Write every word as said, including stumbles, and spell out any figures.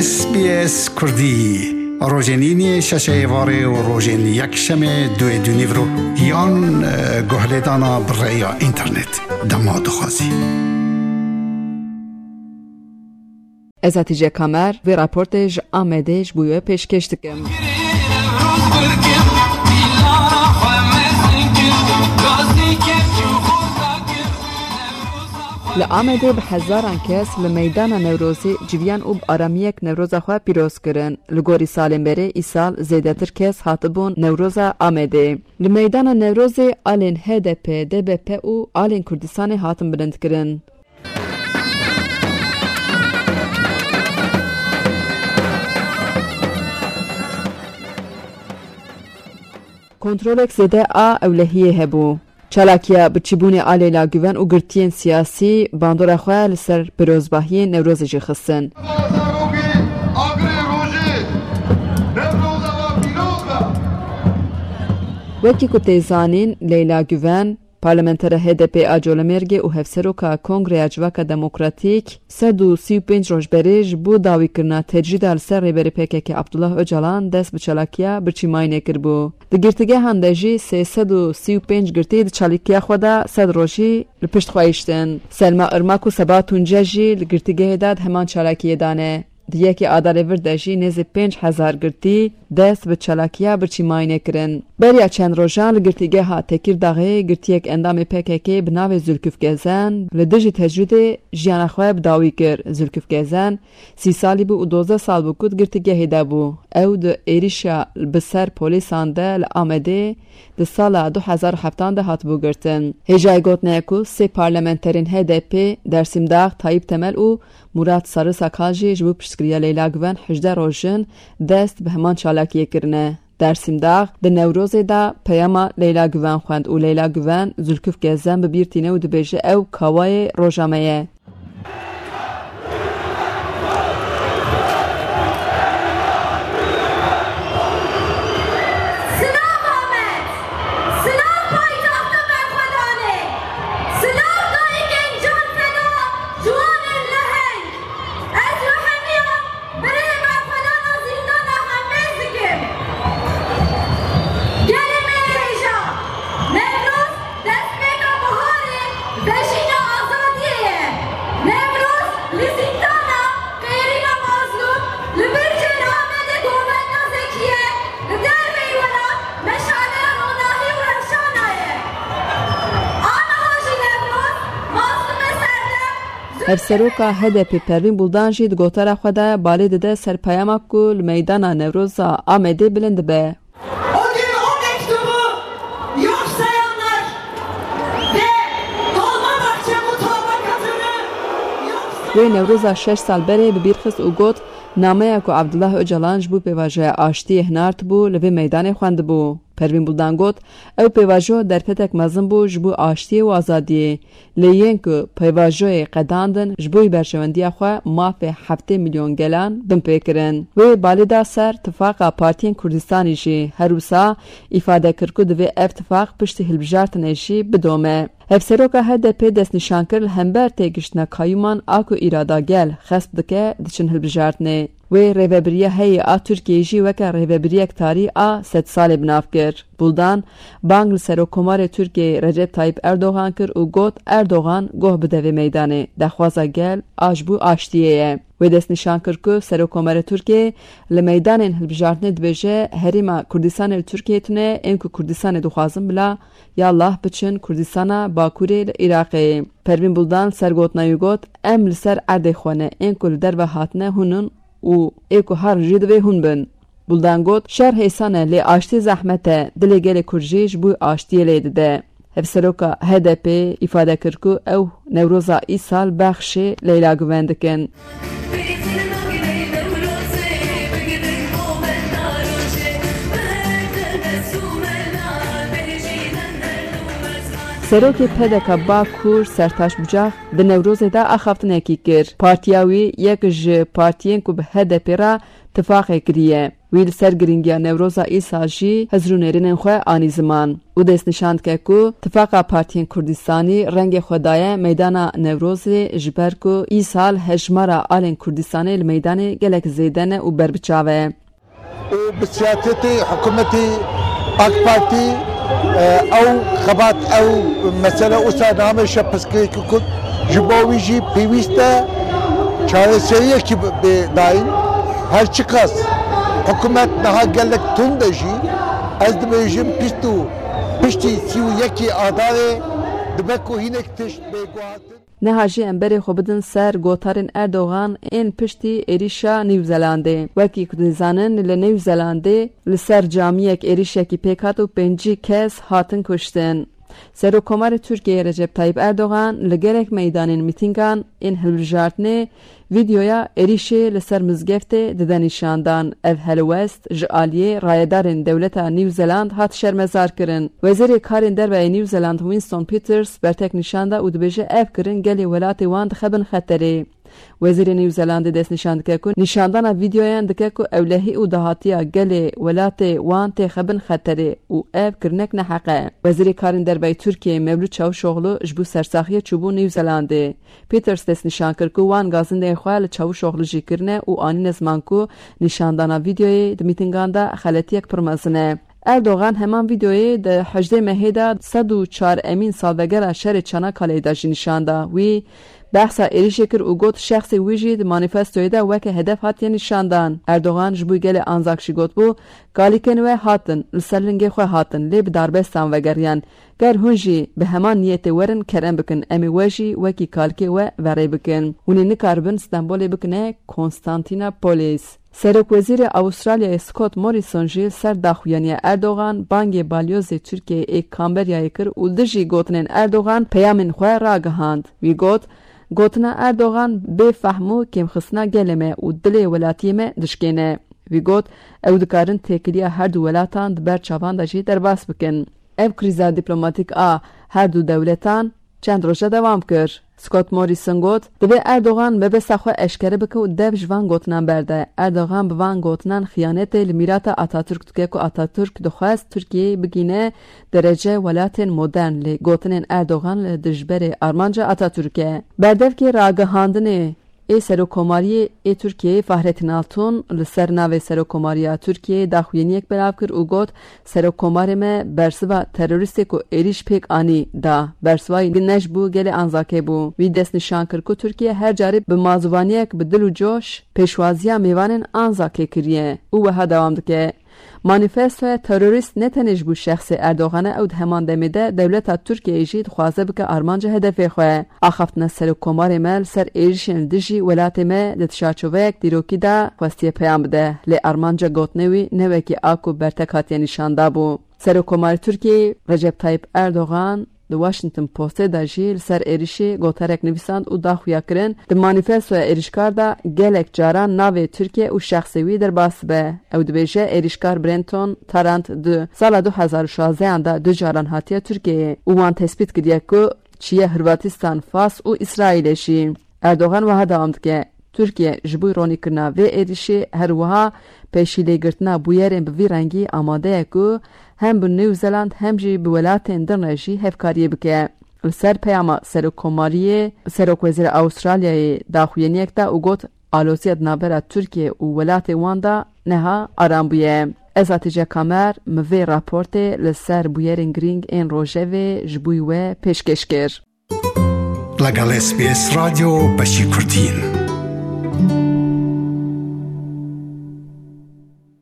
S B S Kurdî, rojên îniyê şeşê êvarê û rojên yekşemê duê dûnîvro yan, e, guhlêdana bi rêya înternet. Dema dixwazî. Ez Hatice Kamer, vê raportê ji Amedê ji bo we pêşkêş dikim. Li Amedê bi hezaran kes li meydana Newrozê civiyan û bi aramiyek Newroza xwe pîroz kirin. Li gorî salên berê, îsal zêdetir kes hatibûn Newroza Amedê. Li meydana Newrozê alên H D P, D B P û alên Kurdistanê hatin bilindkirin. Kontrolek zêde a ewlehiyê hebû. Çalakiya birçîbûnê a Leyla Guven û girtiyên siyasî bandora xwe li ser pirozbahiyên Newrozê jî xistin. Wekî ku tê zanîn, Leyla Guven, parlamentera H D P a Colemêrgê û hevseroka Kongreya Civaka Demokratîk, sed û sî û pênc roj berê ji bo dawîkirina tecrîda li ser rêberê P K K Abdullah Ocalan dest bi çalakiya birçîmayînê kiribû. Di girtîgehan de jî sê sed û sî û pênc girtî di çalakiya xwe de sed rojî li pişt xwe hiştin. Selma Irmak û Seba Tunce jî li girtîgehê de di heman çalakiyê de ne. Di yekê Adarê vir de jî nêzî pênc hezar girtî dest bi çalakiya birçîmayînê kirin. Beriya çend rojan li girtîgeha Tekîrdaxê girtiyek endamê P K K bi navê Zülküf Gezen li dijî tecrîdê jiyana xwe bi dawî kir. Zülküf Gezen sî salî bû û dozdeh sal bû ku di girtîgehê de bû. Ew di êrişa bi ser polîsan de li Amedê di sala du hezar û heftan de hatibû girtin. Hêjayî gotinê ye ku sê parlamenterên H D P, Dersîmdax, Tayyip Temel û Murat Sarı Sakal jî ji bo piştgiriya Leyla Guven hejdeh roj in dest bi heman çalakiyê kirine. Dersîmdax di Newrozê de peyama Leyla Guven xwend û Leyla Guven Zülküf Gezen bi bîr tîne û dibêje ew kawayê roja me ye. Silav Amed! Silav paytexta berxwedanê! Silav dayikên canfeda, ciwanên leheng! Ez rehemiya birê berxwedana zîndana hembêz dikim. Gelê me yê hêja, Newroz destpêka biharê, vejîna azadiyê ye. Newroz li zîndana Qêrîna Mazlûm, li bircên Amedê govenda Zekî ye, li derveyî welat meşaleya ronahî û rewşana ye. Aniha jî Newroz, Mazlûmê serdem, Hevseroka H D P Pervîn Buldan jî di gotara xwe de balê dide ser peyama ku li meydana Newroza Amedê bilind dibe. O gün o mektubu yok sayanlar ve Dolmabahçe mutabakatını yok sayanlar. Wê Newroza şeş sal berê bi bîr xist û got, nameya ku Abdullah Ocalan ji bo pêvajoya aştiyê hinartibû, li vê meydanê xwendibû. Pervîn Buldan got, ew pêvajo derfetek mezin bû ji bo aştiyê û azadiyê. Lê yên ku pêvajoyê qedandin, ji bo berjewendiya xwe mafê heftê milyon gelan bin pê kirin. Wê balê da ser tifaqa partiyên Kurdistanê jî. Her wisa îfade kir ku divê ev tifaq piştî hilbijartinê jî bidome. Hevseroka H D P destnîşan kir, li hember têgiştina kayûman a ku îrada gel xesp dike, diçin hilbijartinê. Wê rêvebiriya heyî a Tirkiyeyê jî weke rêvebiriyek tarî a sedsalê bi nav kir. Buldan bang li Serokkomarê Tirkiyeyê Recep Tayyip Erdogan kir û got, Erdogan goh bide vê meydanê, daxwaza gel a ji bo aştiyê ye. Wê destnîşan kir ku Serokkomarê Tirkiyeyê li meydanên hilbijartinê dibêje, Herêma Kurdistanê li Tirkiyeyê tune, ên ku Kurdistanê dixwazin bila ya lah biçin Kurdistana Bakurê li Iraqê. Pervîn Buldan li ser gotina wî got, Em li ser erdê xwe ne, ên ku li derve hatine hûn in û ê ku herin jî divê hûn bin. Buldan got, Şer hêsan e, lê aştî zehmet e, dilê gelê Kurd jî ji bo aştiyê lê dide. Hevseroka H D P îfade kir ku ew Newroza îsal bexşê Leyla Guven dikin. Serokê P D K Bakur Sertaç Bucak di Newrozê de axaftinekî kir. Partiya wî yek ji partiyên ku bi H D P re tifaqê kiriye. Wî li ser girîngiya Newroza îsal jî hizr û nêrînên xwe anî ziman û destnîşan dike ku tifaqa partiyên Kurdistanî rengê xwe daye meydana Newrozê, ji ber ku îsal hejmara alên Kurdistanê li meydanê gelek zêde ne û berbiçav e. û bi siyasetê hikûmetê AK Partî, e, ew xebat, ew mesele wisa nameşe pirsgirêkê Kurd. Ji bo wî jî pêwîst e çareseriyekî bi, bi dayîn. Her çiqas hikûmet niha gelek tund e jî, ez dibêjim pişt û piştî sî û yekê Adarê dibe ku hinek tişt bê guhartin. Niha jî em berê xwe bidin ser gotarên Erdogan ên piştî êrîşa New Zelandê. Wekî ku dizanin, li New Zelandê li ser camiyek êrîşekî pêk hat û pêncî kes hatin kuştin. Serokkomarê Tirkiyeyê Recep Tayyip Erdogan li gelek meydanên mîtîngan ên hilbijartinê vîdeoya êrîşê li ser mizgeftê dide nîşandan. Ev helwest ji aliyê rayedarên dewleta New Zealand hat şermezarkirin. Wezîrê Karên Derve yê New Zealand Winston Peters bertek nîşan da û dibêje ev kirin gelê welatê wan dixe bin xeterê. Wezîrê New Zealandê destnîşan dike ku nîşandana vîdeoyan dike ku ewlehî û dahatiya gelê welatê wan têxe bin xeterê û ev kirinek neheq e. Wezîrê Karên Derve yê Tirkiyeyê Mevlût Çavuşoglu ji bo sersaxiyê çûbû New Zealandê. Peters destnîşan kir ku wan gazindeyên xwe li Çavuşoglu jî kirine û anîne ziman ku nîşandana vîdeoyê di mîtingan de xeletiyek pir mezin e. Erdogan heman vîdeoyê di hejdê mehê de sed û çar emîn salvegera şerê Çanakaleyê de jî nîşan da. Wî behsa êrîşê kir û got, şexsê wî jî di manîfestoyê de weke hedef hatiye nîşandan. Erdogan ji bo gelê Anzak jî gotbû, kalîkên we hatin, li ser lingê xwe hatin, lê bi darbestan vegeriyan. Ger hûn jî bi heman niyetê werin, kerem bikin, em ê we jî wekî kalkê we ve rê bikin. Hûn ê nikaribin Stenbolê bikine Konstantinopolis. Serokwezîrê Awistralyayê Scott Morrison jî li ser daxuyaniya Erdogan bangê balyozê Tirkiyeyê ê Kamberyayê kir û dijî gotinên Erdogan peyamên xwe ragihand. Wî got, gotina Erdogan bê fehm û kêmxistina gelê me û dilê welatiyê me dişkêne. Wî got, ew dikarin têkiliya her du welatan di ber çavan de jî derbas bikin. Ev krîza dîplomatîk a her du dewletan çend roje dewam kir. Scott Morrison got, divê Erdogan mebesta xwe eşkere bike û dev ji van gotinan berde. Erdogan bi van gotinan xiyanetê li mîrata Atatürk dike ku Atatürk dixwest Tirkiyeyê bigîne derece welatên modern, lê gotinên Erdogan li dijberê armanca Atatürk e. Berdevkê ragihandinê ê Serokkomariyê ê Tirkiyeyê Fahrettin Altun li ser navê Serokkomariya Tirkiyeyê daxuyaniyek belav kir û got, Serokkomarê me bersiva terorîstê ku êrîş pêk anî da. Bersiva wî ne ji bo gelê Anzakê bû. Wî destnîşan kir ku Tirkiye her carê bi mazûvaniyek bi dil û coş pêşwaziya mêvanên Anzakê kiriye û wiha dewam dike. Manîfestoya terorîst ne tenê ji bo şexsê Erdogan e, ew di heman demê de dewleta Tirkiyeyê jî dixwaze bike armanca hedefê xwe. Axaftina Serokkomarê me li ser êrişên dijî welatê me di çarçoveyek dîrokî de xwestiye peyam bide. Lê armanca gotinê wî ne wekî a ku bertek hatiye nîşan dabû. Serokkomarê Tirkiyeyê Recep Tayyip Erdogan di Washington Postê de jî li ser êrişê gotarek nivîsand û da xuya kirin, di manîfestoya êrişkar de gelek caran navê Tirkiye û şexsê wî derbas dibe. Ew dibêje, êrişkar Brenton Tarrant di sala du hezar û şazdehan de du caran hatiye Tirkiyeyê û wan tespît kiriye ku çiye Hırvatistan, Fas û Îsraîlê jî. Erdogan wiha dewam dike, Tirkiye ji bo ronîkirina vê êrişê her wiha pêşîlêgirtina bûyerên bi vî rengî amade ye ku hem bi New Zealand hem jî bi welatên din re jî hevkariyê bike. Li ser peyama Serokkomariyê, Serokwezîrê Awistralyayê daxuyaniyek da û got, aloziya di navbera Tirkiye û welatê wan de niha aram bûye. Ez Hatice Kamer, min vê raportê li ser bûyerên girîng ên rojevê ji bo we pêşkêş kir. لەگەڵ S B S رادیۆ بەشی کوردین.